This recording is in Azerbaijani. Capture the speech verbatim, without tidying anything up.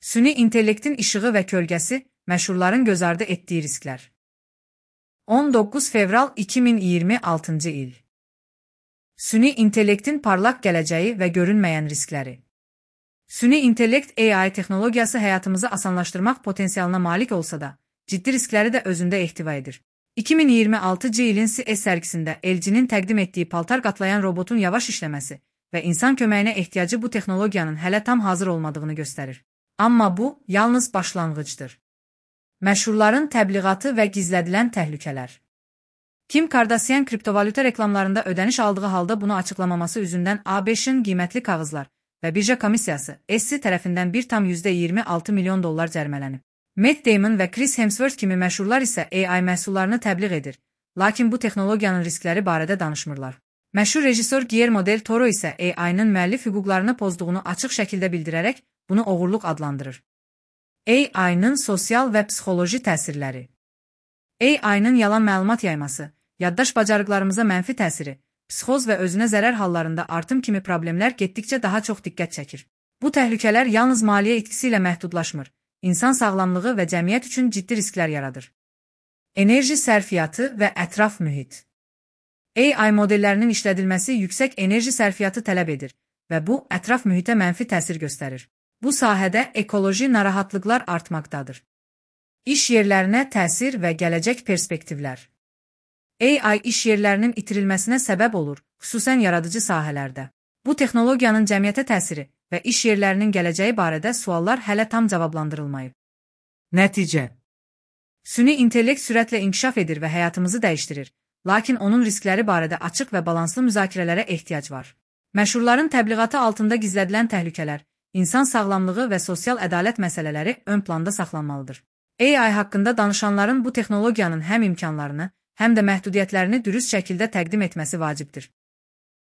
Süni intellektin işığı və kölgəsi, məşhurların göz ardı etdiyi risklər. on doqquz fevral iki min iyirmi altıncı il. Süni intellektin parlaq gələcəyi və görünməyən riskləri. Süni intellekt A I texnologiyası həyatımızı asanlaşdırmaq potensialına malik olsa da, ciddi riskləri də özündə ehtiva edir. iki min iyirmi altıncı ilin C S sərgisində L G-nin təqdim etdiyi paltar qatlayan robotun yavaş işləməsi və insan köməyinə ehtiyacı bu texnologiyanın hələ tam hazır olmadığını göstərir. Amma bu, yalnız başlanğıcdır. Məşhurların təbliğatı və gizlədilən təhlükələr. Kim Kardashian kriptovalyuta reklamlarında ödəniş aldığı halda bunu açıqlamaması üzündən A B Ş'ın qiymətli kağızlar və birja komissiyası S E C tərəfindən bir tam yüzdə iyirmi altı milyon dollar cərmələnib. Matt Damon və Chris Hemsworth kimi məşhurlar isə A I məhsullarını təbliğ edir, lakin bu texnologiyanın riskləri barədə danışmırlar. Məşhur rejissor Guillermo del Toro isə A I-nın müəllif hüquqlarını pozduğunu açıq şəkildə bildirərək bunu oğurluq adlandırır. A I-nın sosial və psixoloji təsirləri. A I-nın yalan məlumat yayması, yaddaş bacarıqlarımıza mənfi təsiri, psixoz və özünə zərər hallarında artım kimi problemlər getdikcə daha çox diqqət çəkir. Bu təhlükələr yalnız maliyyə itkisi ilə məhdudlaşmır, insan sağlamlığı və cəmiyyət üçün ciddi risklər yaradır. Enerji sərfiyyatı və ətraf mühit. A I modellərinin işlədilməsi yüksək enerji sərfiyyatı tələb edir və bu, ətraf mühitə mənfi təsir göstərir. Bu sahədə ekoloji narahatlıqlar artmaqdadır. İş yerlərinə təsir və gələcək perspektivlər. A I iş yerlərinin itirilməsinə səbəb olur, xüsusən yaradıcı sahələrdə. Bu texnologiyanın cəmiyyətə təsiri və iş yerlərinin gələcəyi barədə suallar hələ tam cavablandırılmayıb. Nəticə. Süni intellekt sürətlə inkişaf edir və həyatımızı dəyişdirir, lakin onun riskləri barədə açıq və balanslı müzakirələrə ehtiyac var. Məşhurların təbliğatı altında gizlədilən təhlükələr, insan sağlamlığı və sosial ədalət məsələləri ön planda saxlanmalıdır. A I haqqında danışanların bu texnologiyanın həm imkanlarını, həm də məhdudiyyətlərini dürüst şəkildə təqdim etməsi vacibdir.